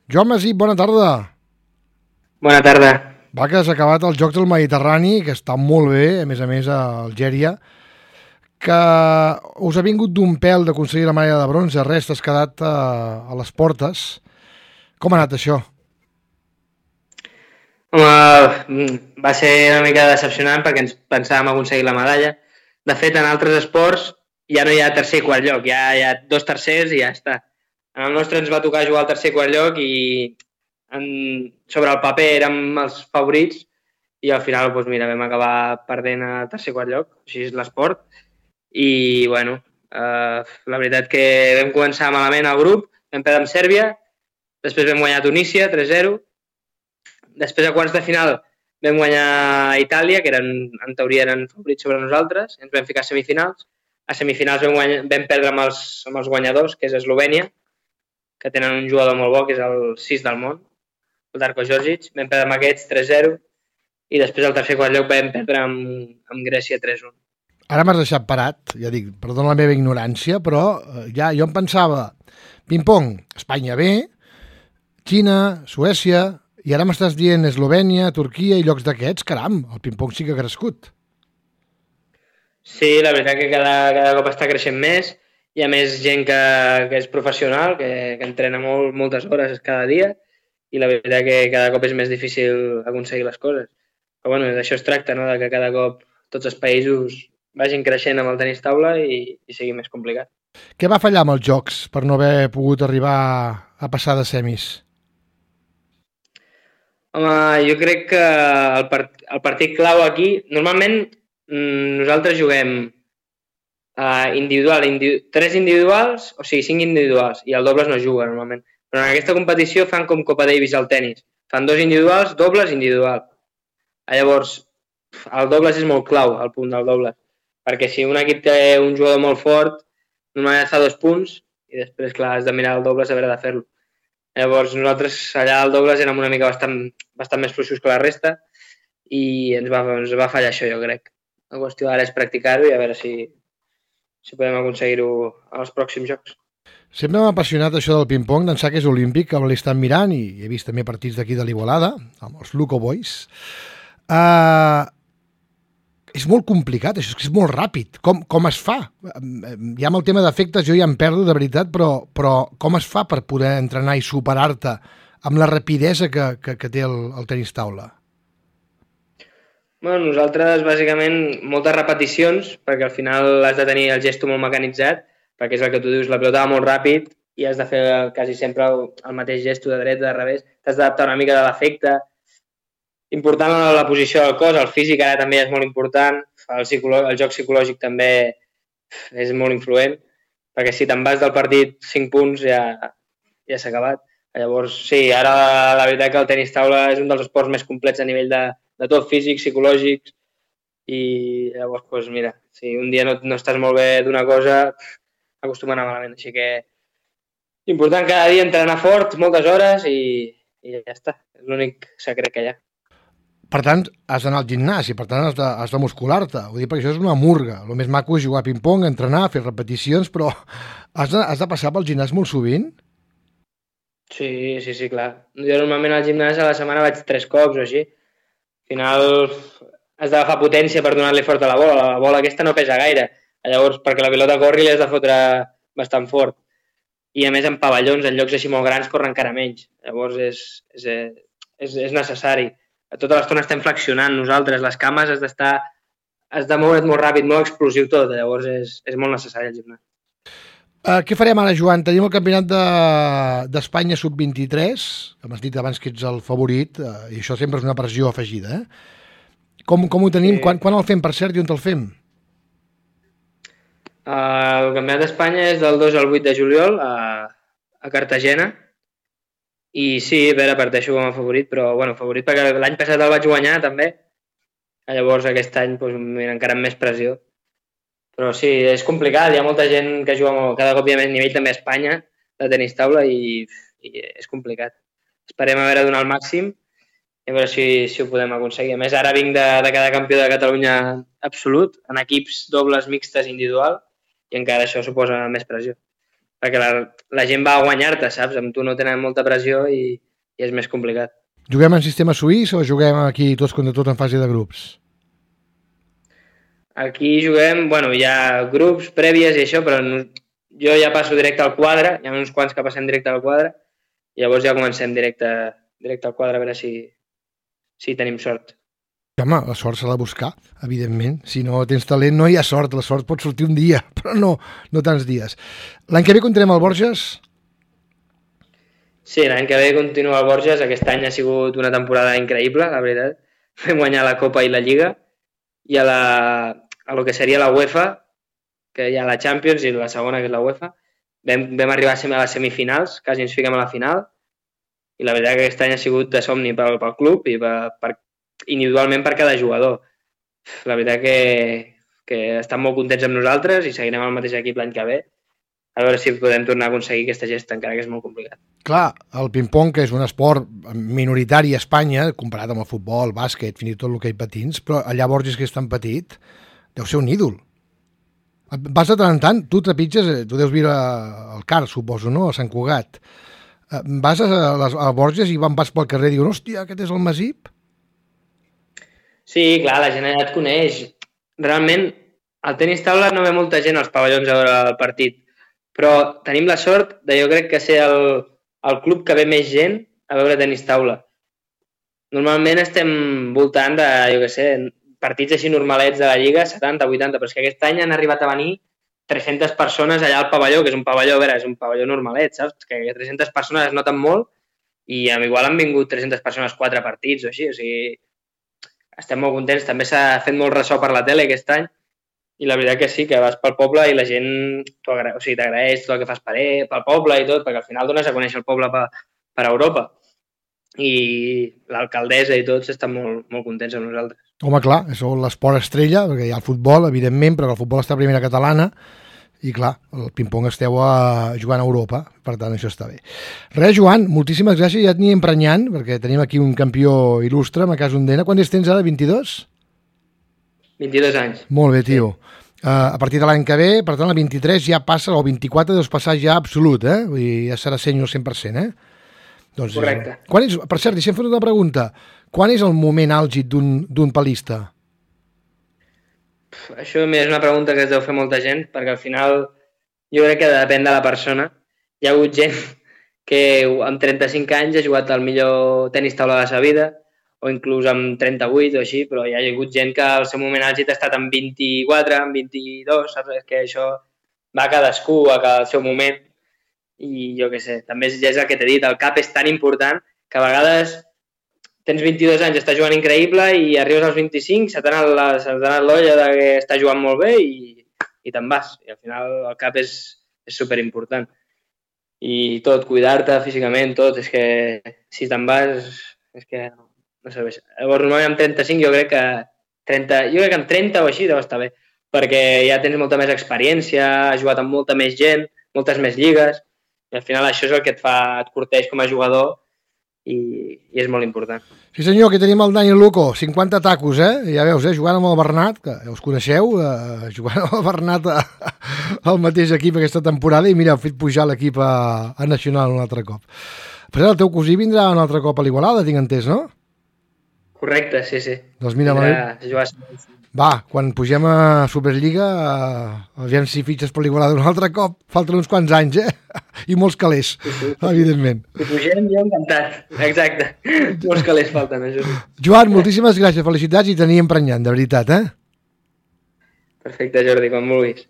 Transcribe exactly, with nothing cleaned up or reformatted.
Joan Masip, bona tarda. Bona tarda. Va, que has acabat els Jocs del Mediterrani, que està molt bé, a més a més, a Algèria, que us ha vingut d'un pèl d'aconseguir la medalla de bronze, res, t'has quedat a, a les portes. Com ha anat això? Home, va ser una mica decepcionant perquè ens pensàvem aconseguir la medalla. De fet, en altres esports ja no hi ha tercer i quart lloc, ja hi ha dos tercers i ja està. En el nostre ens va tocar jugar al tercer i quart lloc i en, sobre el paper érem els favorits i al final, doncs mira, vam acabar perdent a tercer i quart lloc, així és l'esport. I, bueno, eh, la veritat que vam començar malament al grup, vam perdre amb Sèrbia, després vam guanyar a Tunísia, tres zero. Després, a quarts de final, vam guanyar a Itàlia, que eren, en teoria eren favorits sobre nosaltres, ens vam ficar a semifinals. A semifinals vam, guanyar, vam perdre amb els, amb els guanyadors, que és Eslovènia, que tenen un jugador molt bo, que és el sis del món, el Darko Djordjic. Vam perdre amb aquests tres zero i després al tercer quart lloc vam perdre amb, amb Grècia tres un. Ara m'has deixat parat, ja dic, perdona la meva ignorància, però ja jo em pensava, ping-pong, Espanya bé, Xina, Suècia, i ara m'estàs dient Eslovènia, Turquia i llocs d'aquests, caram, el ping-pong sí que ha crescut. Sí, la veritat que cada, cada cop està creixent més, hi ha més gent que, que és professional, que, que entrena molt, moltes hores cada dia, i la veritat que cada cop és més difícil aconseguir les coses. Però bueno, d'això es tracta, no? De que cada cop tots els països vagin creixent amb el tenis taula i, i sigui més complicat. Què va fallar amb els jocs per no haver pogut arribar a passar de semis? Home, jo crec que el, part, el partit clau aquí, normalment mmm, nosaltres juguem uh, individual, individu tres individuals, o sigui, cinc individuals, i el dobles no juga normalment. Però en aquesta competició fan com Copa Davis al tennis. Fan dos individuals, dobles, individual. Llavors, el dobles és molt clau, el punt del dobles, perquè si un equip té un jugador molt fort, normalment fa dos punts, i després, clar, has de mirar el dobles a veure de fer-lo. Llavors, nosaltres allà al dobles érem una mica bastant, bastant més fluixos que la resta i ens va, ens va fallar això, jo crec. La qüestió ara és practicar-ho i a veure si, si podem aconseguir-ho als pròxims jocs. Sempre m'ha apassionat això del ping-pong, d'ençà que és olímpic, que l'he estat mirant i he vist també partits d'aquí de l'Igualada, amb els Luco Boys. Uh, és molt complicat, això és que és molt ràpid. Com, com es fa? Ja amb el tema d'efectes jo ja em perdo, de veritat, però, però com es fa per poder entrenar i superar-te amb la rapidesa que, que, que té el, el tenis taula? Bueno, nosaltres, bàsicament, moltes repeticions, perquè al final has de tenir el gesto molt mecanitzat, perquè és el que tu dius, la pilota va molt ràpid i has de fer quasi sempre el, el mateix gesto de dreta, de revés. T'has d'adaptar una mica de l'efecte. Important la posició del cos, el físic ara també és molt important, el, el joc psicològic també és molt influent, perquè si te'n vas del partit cinc punts ja, ja s'ha acabat. Llavors, sí, ara la veritat que el tenis taula és un dels esports més complets a nivell de, de tot físic, psicològic, i llavors, doncs mira, si un dia no, no estàs molt bé d'una cosa, acostuma a anar malament. Així que important cada dia entrenar fort, moltes hores i, i ja està. És l'únic secret que hi ha. Per tant, has d'anar al gimnàs i per tant has de, has de muscular-te. Ho dic perquè això és una murga. El més maco és jugar a ping-pong, entrenar, fer repeticions, però has de, has de passar pel gimnàs molt sovint? Sí, sí, sí, clar. Jo normalment al gimnàs a la setmana vaig tres cops o així. Al final has d'agafar potència per donar-li fort a la bola. La bola aquesta no pesa gaire. Llavors, perquè la pilota corri, li has de fotre bastant fort. I a més, en pavellons, en llocs així molt grans, corren encara menys. Llavors, és, és, és, és necessari. Tota l'estona estem flexionant nosaltres, les cames has d'estar, has de moure't molt ràpid, molt explosiu tot, llavors és, és molt necessari el gimnàs. Uh, què farem ara, Joan? Tenim el campionat d'Espanya de, sub vint-i-tres, que m'has dit abans que ets el favorit, uh, i això sempre és una pressió afegida, eh? Com, com ho tenim? Sí. Quan, quan el fem, per cert, i on el fem? Uh, el campionat d'Espanya és del dos al vuit de juliol a, a Cartagena. I sí, a veure, parteixo com a favorit, però bueno, favorit perquè l'any passat el vaig guanyar també. Llavors aquest any doncs, mira, encara amb més pressió. Però sí, és complicat, hi ha molta gent que juga molt, cada cop hi ha més nivell també a Espanya de tenis taula i, i és complicat. Esperem a veure donar el màxim i a veure si, si ho podem aconseguir. A més, ara vinc de, de cada campió de Catalunya absolut, en equips dobles, mixtes, individual, i encara això suposa més pressió. perquè la, la gent va a guanyar-te, saps? Amb tu no tenen molta pressió i, i és més complicat. Juguem en sistema suís o juguem aquí tots contra tots en fase de grups? Aquí juguem, bueno, hi ha grups prèvies i això, però no, jo ja passo directe al quadre, hi ha uns quants que passem directe al quadre, i llavors ja comencem directe, directe al quadre a veure si, si tenim sort. Home, la sort s'ha de buscar, evidentment. Si no tens talent no hi ha sort, la sort pot sortir un dia, però no, no tants dies. L'any que ve comptarem el Borges? Sí, l'any que ve continua el Borges, aquest any ha sigut una temporada increïble, la veritat. Vam guanyar la Copa i la Lliga, i a la, a lo que seria la UEFA, que hi ha la Champions i la segona, que és la UEFA, vam, vam arribar a les semifinals, quasi ens fiquem a la final, i la veritat que aquest any ha sigut de somni pel, pel club i per, per, individualment per cada jugador. La veritat que, que estan molt contents amb nosaltres i seguirem al mateix equip l'any que ve, a veure si podem tornar a aconseguir aquesta gesta, encara que és molt complicat. Clar, el ping-pong, que és un esport minoritari a Espanya, comparat amb el futbol, el bàsquet, fins i tot l'hoquei patins, però allà Borges, que és tan petit, deu ser un ídol. Vas de tant en tant, tu trepitges, tu deus viure al Car, suposo, no?, a Sant Cugat. Vas a, les, a Borges i vas pel carrer i diuen, hòstia, aquest és el Masip? Sí, clar, la gent allà et coneix. Realment, al tenis taula no ve molta gent als pavellons a veure el partit, però tenim la sort de, jo crec, que ser el, el club que ve més gent a veure tenis taula. Normalment estem voltant de, jo què sé, partits així normalets de la Lliga, setanta, vuitanta, però és que aquest any han arribat a venir tres-centes persones allà al pavelló, que és un pavelló, a veure, és un pavelló normalet, saps? Que tres-centes persones es noten molt i igual han vingut tres-centes persones quatre partits o així, o sigui, estem molt contents. També s'ha fet molt ressò per la tele aquest any i la veritat que sí, que vas pel poble i la gent o sigui, t'agraeix tot el que fas per ell, pel poble i tot, perquè al final dones a conèixer el poble per, per Europa. I l'alcaldessa i tots estan molt, molt contents amb nosaltres. Home, clar, és l'esport estrella, perquè hi ha el futbol, evidentment, però el futbol està a primera catalana i, clar, el ping-pong esteu a, jugant a Europa, per tant, això està bé. Res, Joan, moltíssimes gràcies, ja et anirem prenyant, perquè tenim aquí un campió il·lustre, a casa Ondena. Quants tens ara, vint-i-dos? vint-i-dos anys. Molt bé, tio. Sí. Uh, a partir de l'any que ve, per tant, el vint-i-tres ja passa, o el vint-i-quatre deus passar ja absolut, eh? Vull dir, ja serà sènior cent per cent, eh? Doncs, correcte. Quan és, per cert, deixem fer una pregunta. Quan és el moment àlgid d'un palista? Això és una pregunta que es deu fer molta gent, perquè al final jo crec que depèn de la persona. Hi ha hagut gent que amb trenta-cinc anys ha jugat al millor tenis taula de la seva vida, o inclús amb trenta-vuit o així, però hi ha hagut gent que al seu moment àlgid ha estat amb vint-i-quatre, amb vint-i-dos, saps? És que això va a cadascú, a cada seu moment. I jo què sé, també és, ja és el que t'he dit, el cap és tan important que a vegades tens vint-i-dos anys, estàs jugant increïble i arribes als vint-i-cinc, se t'ha anat l'olla de que estàs jugant molt bé i, i te'n vas. I al final el cap és, és superimportant. I tot, cuidar-te físicament, tot, és que si te'n vas, és que no, no serveix. Llavors, normalment amb trenta-cinc jo crec que trenta, jo crec que amb trenta o així deu estar bé, perquè ja tens molta més experiència, has jugat amb molta més gent, moltes més lligues, i al final això és el que et fa, et corteix com a jugador i, i és molt important. Sí senyor, aquí tenim el Dani Luco, cinquanta tacos, eh? Ja veus, eh? Jugant amb el Bernat, que ja us coneixeu, eh? Jugant amb el Bernat a, al mateix equip aquesta temporada i mira, heu fet pujar l'equip a, a Nacional un altre cop. Però el teu cosí vindrà un altre cop a l'Igualada, tinc entès, no? Correcte, sí, sí. Doncs mira, Vindrà, va, quan pugem a Superliga, aviam si fitxes per l'Igualada un altre cop, falten uns quants anys, eh? I molts calés, sí, sí, sí. Evidentment. Si pugem, jo encantat, exacte. Molts calés falten, això sí. Joan, moltíssimes gràcies, felicitats i t'anirem prenyant, de veritat, eh? Perfecte, Jordi, quan vulguis.